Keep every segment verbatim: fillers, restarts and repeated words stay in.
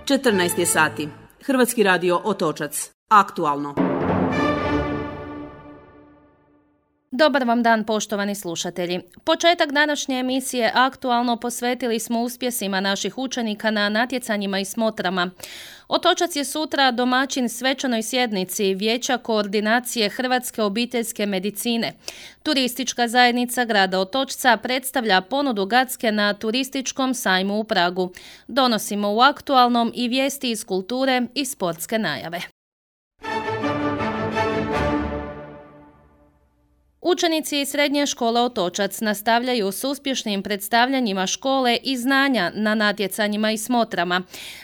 četrnaest je sati. Hrvatski radio Otočac. Aktualno. Dobar vam dan, poštovani slušatelji. Početak današnje emisije Aktualno posvetili smo uspjesima naših učenika na natjecanjima i smotrama. Otočac je sutra domaćin svečanoj sjednici Vijeća koordinacije Hrvatske obiteljske medicine. Turistička zajednica grada Otočca predstavlja ponudu Gacke na turističkom sajmu u Pragu. Donosimo u Aktualnom i vijesti iz kulture i sportske najave. Učenici iz srednje škole Otočac nastavljaju s uspješnim predstavljanjima škole i znanja na natjecanjima i smotrama.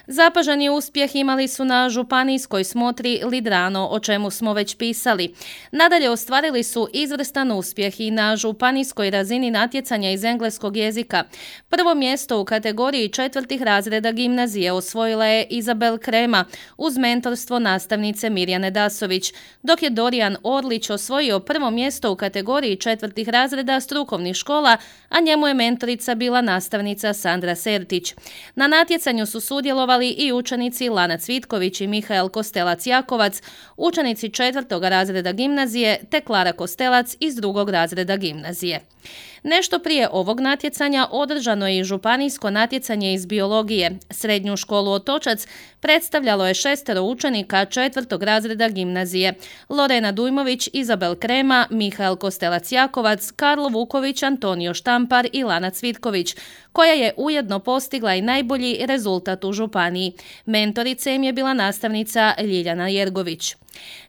Zapaženi uspjeh imali su na županijskoj smotri Lidrano, o čemu smo već pisali. Nadalje ostvarili su izvrstan uspjeh i na županijskoj razini natjecanja iz engleskog jezika. Prvo mjesto u kategoriji četvrtih razreda gimnazije osvojila je Izabel Krema uz mentorstvo nastavnice Mirjane Dasović, dok je Dorijan Orlić osvojio prvo mjesto u kategoriji četvrtih razreda strukovnih škola, a njemu je mentorica bila nastavnica Sandra Sertić. Na natjecanju su sudjelovali i učenici Lana Cvitković i Mihael Kostelac-Jakovac, učenici četvrtog razreda gimnazije te Klara Kostelac iz drugog razreda gimnazije. Nešto prije ovog natjecanja održano je i županijsko natjecanje iz biologije. Srednju školu Otočac predstavljalo je šestero učenika četvrtog razreda gimnazije: Lorena Dujmović, Izabel Krema, Mihael Kostelac-Jakovac, Karlo Vuković, Antonio Štampar i Lana Cvitković, koja je ujedno postigla i najbolji rezultat u županiji. Mentorica im je bila nastavnica Ljiljana Jergović.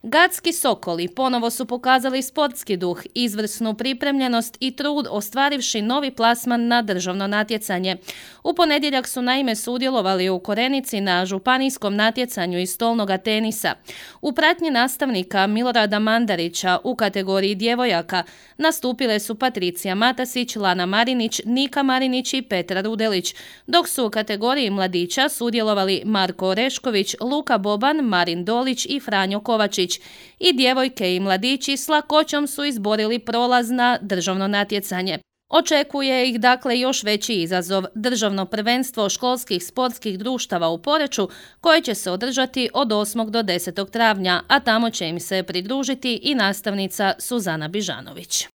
Gacki Sokoli ponovo su pokazali sportski duh, izvrsnu pripremljenost i trud ostvarivši novi plasman na državno natjecanje. U ponedjeljak su naime sudjelovali u Korenici na županijskom natjecanju iz stolnoga tenisa. U pratnji nastavnika Milorada Mandarića u kategoriji djevojaka nastupile su Patricija Matasić, Lana Marinić, Nika Marinić i Petra Rudelić, dok su u kategoriji mladića sudjelovali Marko Orešković, Luka Boban, Marin Dolić i Franjo Kovačić. I djevojke i mladići s lakoćom su izborili prolaz na državno natjecanje. Očekuje ih dakle još veći izazov, državno prvenstvo školskih sportskih društava u Poreču, koje će se održati od osmog do desetog travnja, a tamo će im se pridružiti i nastavnica Suzana Bižanović.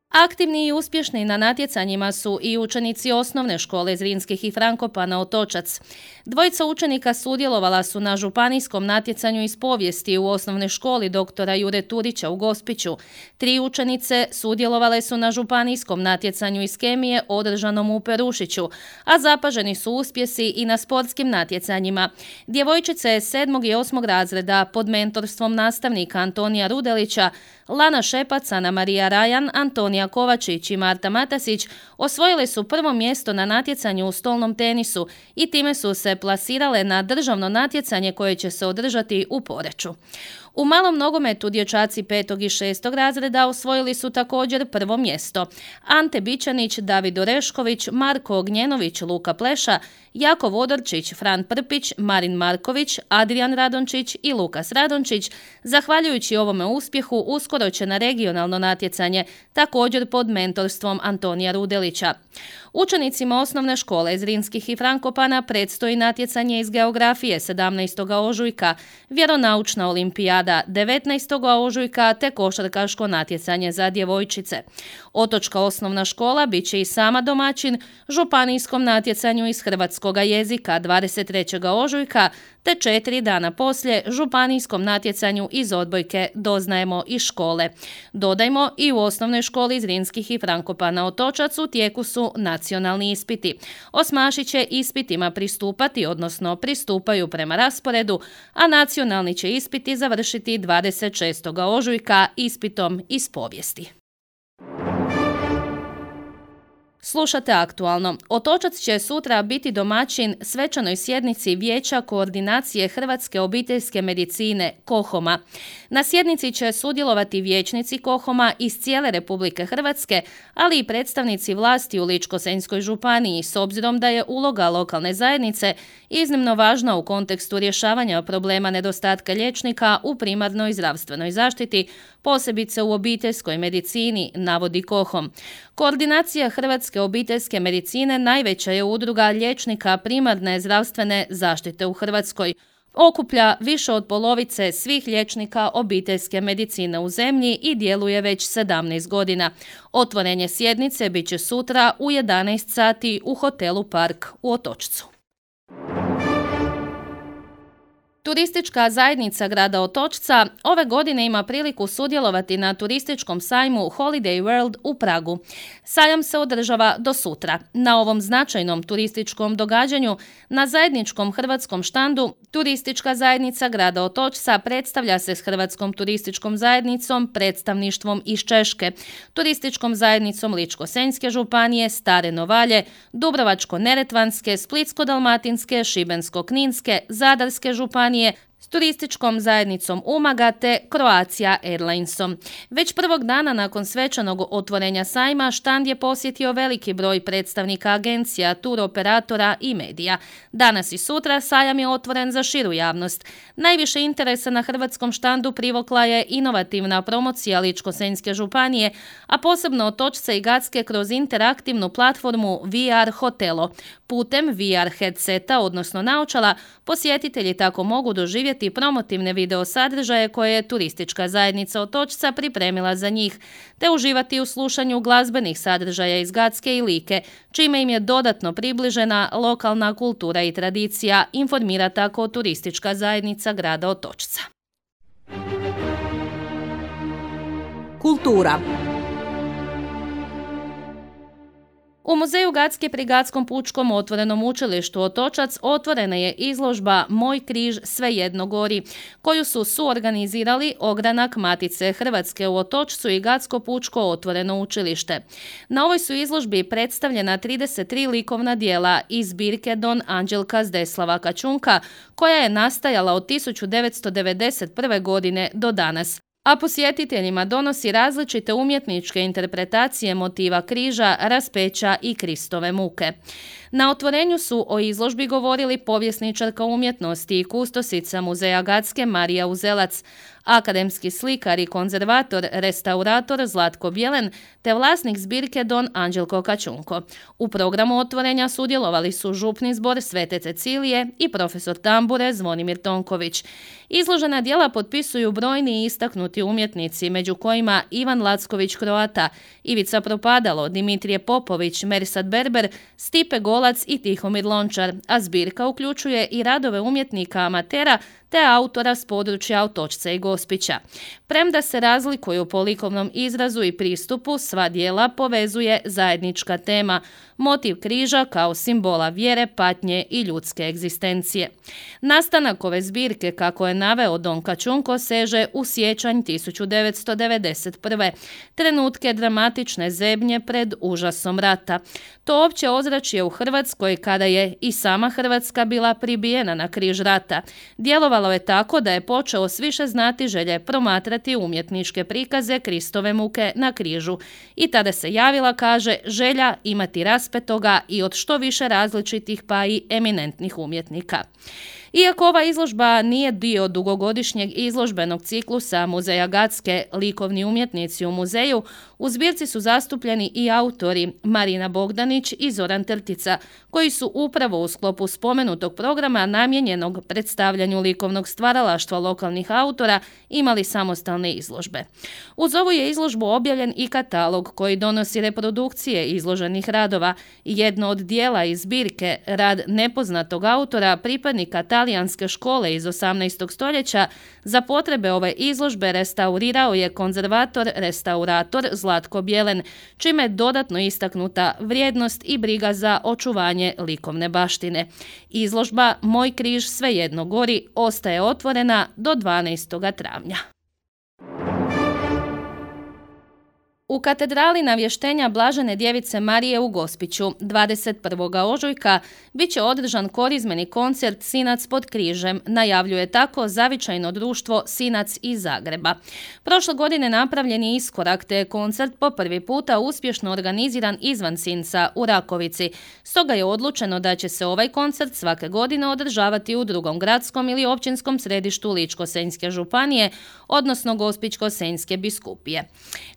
Aktivni i uspješni na natjecanjima su i učenici osnovne škole Zrinskih i Frankopana Otočac. Dvojica učenika sudjelovala su na županijskom natjecanju iz povijesti u osnovnoj školi doktora Jure Turića u Gospiću. Tri učenice sudjelovale su na županijskom natjecanju iz kemije održanom u Perušiću, a zapaženi su uspjesi i na sportskim natjecanjima. Djevojčice sedmog i osmog razreda pod mentorstvom nastavnika Antonija Rudelića, Lana Šepac, Ana Marija Rajan, Antonija Kovačić i Marta Matasić osvojile su prvo mjesto na natjecanju u stolnom tenisu i time su se plasirale na državno natjecanje koje će se održati u Poreču. U malom nogometu dječaci petog i šestog razreda osvojili su također prvo mjesto. Ante Bičanić, David Orešković, Marko Ognjenović, Luka Pleša, Jakov Odorčić, Fran Prpić, Marin Marković, Adrian Radončić i Lukas Radončić, zahvaljujući ovome uspjehu, uskoro će na regionalno natjecanje, također pod mentorstvom Antonija Rudelića. Učenicima osnovne škole Zrinskih i Frankopana predstoji natjecanje iz geografije sedamnaestog ožujka, vjeronaučna olimpijada devetnaestog ožujka te košarkaško natjecanje za djevojčice. Otočka osnovna škola bit će i sama domaćin županijskom natjecanju iz hrvatskoga jezika dvadeset trećeg ožujka te četiri dana poslije županijskom natjecanju iz odbojke Doznajemo iz škole. Dodajmo, i u osnovnoj školi Zrinskih i Frankopana Otočac u tijeku su nacionalni ispiti. Osmaši će ispitima pristupati, odnosno pristupaju prema rasporedu, a nacionalni će ispiti završiti dvadeset šestog ožujka ispitom iz povijesti. Slušate Aktualno. Otočac će sutra biti domaćin svečanoj sjednici Vijeća koordinacije Hrvatske obiteljske medicine KOHOM-a. Na sjednici će sudjelovati vijećnici KOHOM-a iz cijele Republike Hrvatske, ali i predstavnici vlasti u Ličko-senjskoj županiji, s obzirom da je uloga lokalne zajednice iznimno važna u kontekstu rješavanja problema nedostatka liječnika u primarnoj zdravstvenoj zaštiti, posebice u obiteljskoj medicini, navodi Kohom. Koordinacija Hrvatske obiteljske medicine najveća je udruga liječnika primarne zdravstvene zaštite u Hrvatskoj. Okuplja više od polovice svih liječnika obiteljske medicine u zemlji i djeluje već sedamnaest godina. Otvorenje sjednice bit će sutra u jedanaest sati u hotelu Park u Otočcu. Turistička zajednica grada Otočca ove godine ima priliku sudjelovati na turističkom sajmu Holiday World u Pragu. Sajam se održava do sutra. Na ovom značajnom turističkom događanju na zajedničkom hrvatskom štandu Turistička zajednica grada Otočca predstavlja se s Hrvatskom turističkom zajednicom, predstavništvom iz Češke, Turističkom zajednicom Ličko-senjske županije, Stare Novalje, Dubrovačko-neretvanske, Splitsko-dalmatinske, Šibensko-kninske, Zadarske županije, s turističkom zajednicom Umaga te Croatia Airlinesom. Već prvog dana nakon svečanog otvorenja sajma štand je posjetio veliki broj predstavnika agencija, turoperatora i medija. Danas i sutra sajam je otvoren za širu javnost. Najviše interesa na hrvatskom štandu privukla je inovativna promocija Ličko-senjske županije, a posebno Otočce i Gacke kroz interaktivnu platformu V R Hotelo. Putem V R headseta, odnosno naočala, posjetitelji tako mogu doživjeti promotivne video sadržaje koje je turistička zajednica Otočca pripremila za njih, te uživati u slušanju glazbenih sadržaja iz Gacke i Like, čime im je dodatno približena lokalna kultura i tradicija, informira tako turistička zajednica grada Otočca. Kultura. U muzeju Gacke pri Gatskom pučkom otvorenom učilištu Otočac otvorena je izložba Moj križ svejedno gori, koju su suorganizirali Ogranak Matice Hrvatske u Otočcu i Gatsko pučko otvoreno učilište. Na ovoj su izložbi predstavljena trideset tri likovna dijela iz zbirke Don Anđelka Zdeslava Kačunka, koja je nastajala od tisuću devetsto devedeset prve. godine do danas, a posjetiteljima donosi različite umjetničke interpretacije motiva križa, raspeća i Kristove muke. Na otvorenju su o izložbi govorili povjesničarka umjetnosti i kustosica muzeja Gacke Marija Uzelac, akademski slikar i konzervator, restaurator Zlatko Bjelen te vlasnik zbirke Don Anđelko Kačunko. U programu otvorenja sudjelovali su župni zbor Svete Cecilije i profesor tambure Zvonimir Tonković. Izložena djela potpisuju brojni i istaknuti umjetnici, među kojima Ivan Lacković Kroata, Ivica Propadalo, Dimitrije Popović, Mersat Berber, Stipe Golac i Tihomir Lončar, a zbirka uključuje i radove umjetnika amatera te autora s područja Otočca i Gospića. Premda se razlikuju po likovnom izrazu i pristupu, sva djela povezuje zajednička tema, motiv križa kao simbola vjere, patnje i ljudske egzistencije. Nastanak ove zbirke, kako je naveo Don Kačunko, seže u siječanj tisuću devetsto devedeset prve. Trenutke dramatične zebnje pred užasom rata. To opće ozračje u Hrvatskoj kada je i sama Hrvatska bila pribijena na križ rata. Djelovalo je tako da je počeo s više znati želje promatrati umjetničke prikaze Kristove muke na križu. I tada se javila, kaže, želja imati raspetoga i od što više različitih pa i eminentnih umjetnika. Iako ova izložba nije dio dugogodišnjeg izložbenog ciklusa Muzeja Gacke, likovni umjetnici u muzeju, u zbirci su zastupljeni i autori Marina Bogdanić i Zoran Trtica, koji su upravo u sklopu spomenutog programa namijenjenog predstavljanju likovnog stvaralaštva lokalnih autora imali samostalne izložbe. Uz ovu je izložbu objavljen i katalog koji donosi reprodukcije izloženih radova. Jedno od dijela iz zbirke, rad nepoznatog autora, pripadnika talijanske škole iz osamnaestog stoljeća, za potrebe ove izložbe restaurirao je konzervator, restaurator Zlatko Bjelen, čime je dodatno istaknuta vrijednost i briga za očuvanje likovne baštine. Izložba Moj križ svejedno gori ostaje otvorena do dvanaestog travnja. U katedrali Navještenja Blažene djevice Marije u Gospiću dvadeset prvog ožujka bit će održan korizmeni koncert Sinac pod križem, najavljuje tako zavičajno društvo Sinac iz Zagreba. Prošle godine napravljen je iskorak te je koncert po prvi puta uspješno organiziran izvan Sinca u Rakovici. Stoga je odlučeno da će se ovaj koncert svake godine održavati u drugom gradskom ili općinskom središtu Ličko-senjske županije, odnosno Gospićko-senjske biskupije.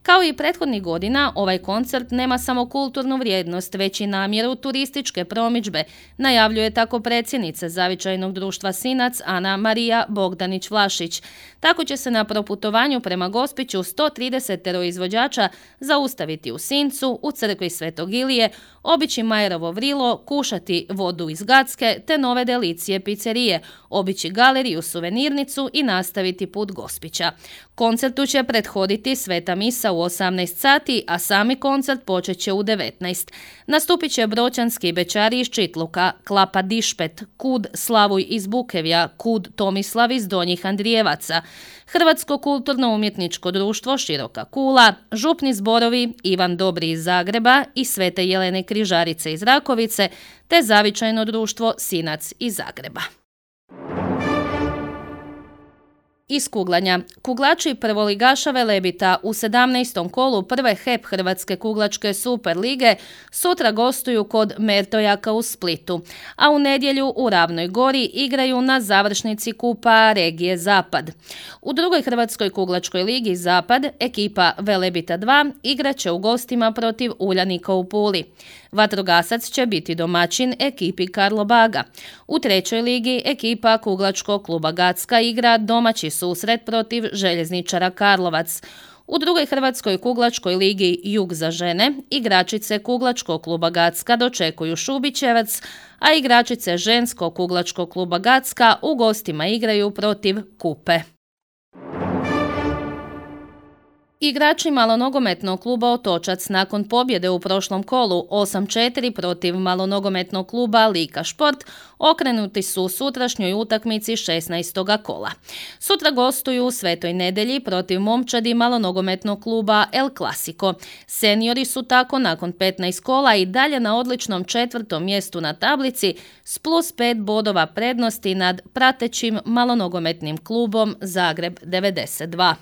Kao i prethodnih godina, ovaj koncert nema samo kulturnu vrijednost, već i namjeru turističke promidžbe, najavljuje tako predsjednica zavičajnog društva Sinac Ana Marija Bogdanić-Vlašić. Tako će se na proputovanju prema Gospiću sto trideset izvođača zaustaviti u Sincu, u crkvi Svetog Ilije, obići Majerovo vrilo, kušati vodu iz Gacke te nove delicije pizzerije, obići galeriju, suvenirnicu i nastaviti put Gospića. Koncertu će prethoditi sveta misa u osamnaest sati, a sami koncert počet će u devetnaest. Nastupit će broćanski bečari iz Čitluka, Klapa Dišpet, Kud Slavuj iz Bukevja, Kud Tomislav iz Donjih Andrijevaca, Hrvatsko kulturno-umjetničko društvo Široka Kula, župni zborovi Ivan Dobri iz Zagreba i Svete Jelene Križarice iz Rakovice, te zavičajno društvo Sinac iz Zagreba. Iz kuglanja. Kuglači prvoligaša Velebita u sedamnaestom kolu prve H E P Hrvatske kuglačke Super lige sutra gostuju kod Mertojaka u Splitu, a u nedjelju u Ravnoj Gori igraju na završnici Kupa regije Zapad. U drugoj Hrvatskoj kuglačkoj ligi Zapad ekipa Velebita dva igraće u gostima protiv Uljanika u Puli. Vatrogasac će biti domaćin ekipi Karlobaga. U trećoj ligi ekipa kuglačkog kluba Gacka igra domaći susret protiv Željezničara Karlovac. U drugoj Hrvatskoj kuglačkoj ligi Jug za žene igračice kuglačkog kluba Gacka dočekuju Šubićevac, a igračice ženskog kuglačkog kluba Gacka u gostima igraju protiv Kupe. Igrači malonogometnog kluba Otočac nakon pobjede u prošlom kolu osam četiri protiv malonogometnog kluba Lika Šport okrenuti su u sutrašnjoj utakmici šesnaestog kola. Sutra gostuju u Svetoj Nedelji protiv momčadi malonogometnog kluba El Clasico. Seniori su tako nakon petnaest kola i dalje na odličnom četvrtom mjestu na tablici s plus pet bodova prednosti nad pratećim malonogometnim klubom Zagreb devedeset dva.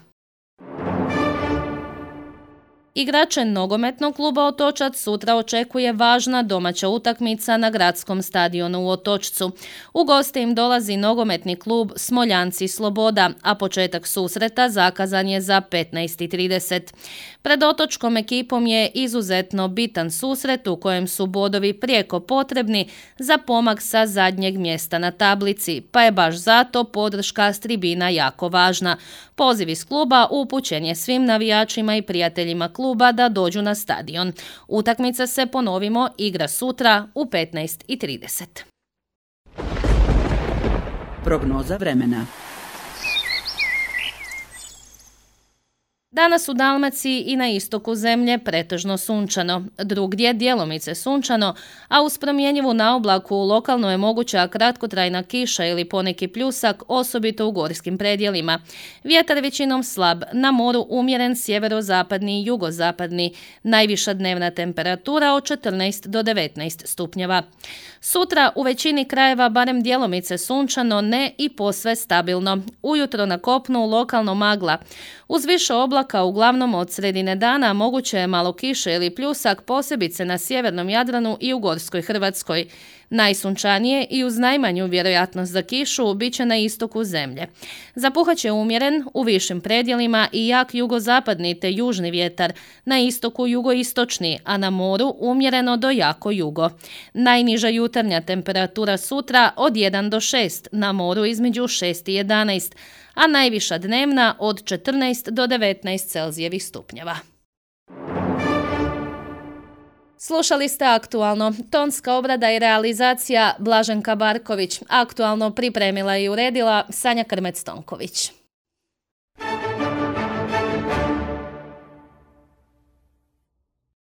Igrače nogometnog kluba Otočac sutra očekuje važna domaća utakmica na gradskom stadionu u Otočcu. U goste im dolazi nogometni klub Smoljanci Sloboda, a početak susreta zakazan je za petnaest i trideset. Pred otočkom ekipom je izuzetno bitan susret u kojem su bodovi prijeko potrebni za pomak sa zadnjeg mjesta na tablici, pa je baš zato podrška s tribina jako važna. Poziv iz kluba upućen je svim navijačima i prijateljima kluba da dođu na stadion. Utakmica se, ponovimo, igra sutra u petnaest i trideset. Prognoza vremena. Danas u Dalmaciji i na istoku zemlje pretežno sunčano, drugdje djelomice sunčano, a uz promjenjivu naoblaku lokalno je moguća kratkotrajna kiša ili poneki pljusak, osobito u gorskim predjelima. Vjetar većinom slab, na moru umjeren sjeverozapadni i jugozapadni, najviša dnevna temperatura od četrnaest do devetnaest stupnjeva. Sutra u većini krajeva barem djelomice sunčano, ne i posve stabilno. Ujutro na kopnu lokalno magla. Uz više oblaka uglavnom od sredine dana moguće je malo kiše ili pljusak, posebice na sjevernom Jadranu i u gorskoj Hrvatskoj. Najsunčanije i uz najmanju vjerojatnost za kišu bit će na istoku zemlje. Zapuhat će umjeren u višim predjelima i jak jugozapadni te južni vjetar, na istoku jugoistočni, a na moru umjereno do jako jugo. Najniža jutarnja temperatura sutra od jedan do šest, na moru između šest i jedanaest, a najviša dnevna od četrnaest do devetnaest Celzijevih stupnjeva. Slušali ste Aktualno. Tonska obrada i realizacija Blaženka Barković. Aktualno pripremila i uredila Sanja Krmec-Tonković.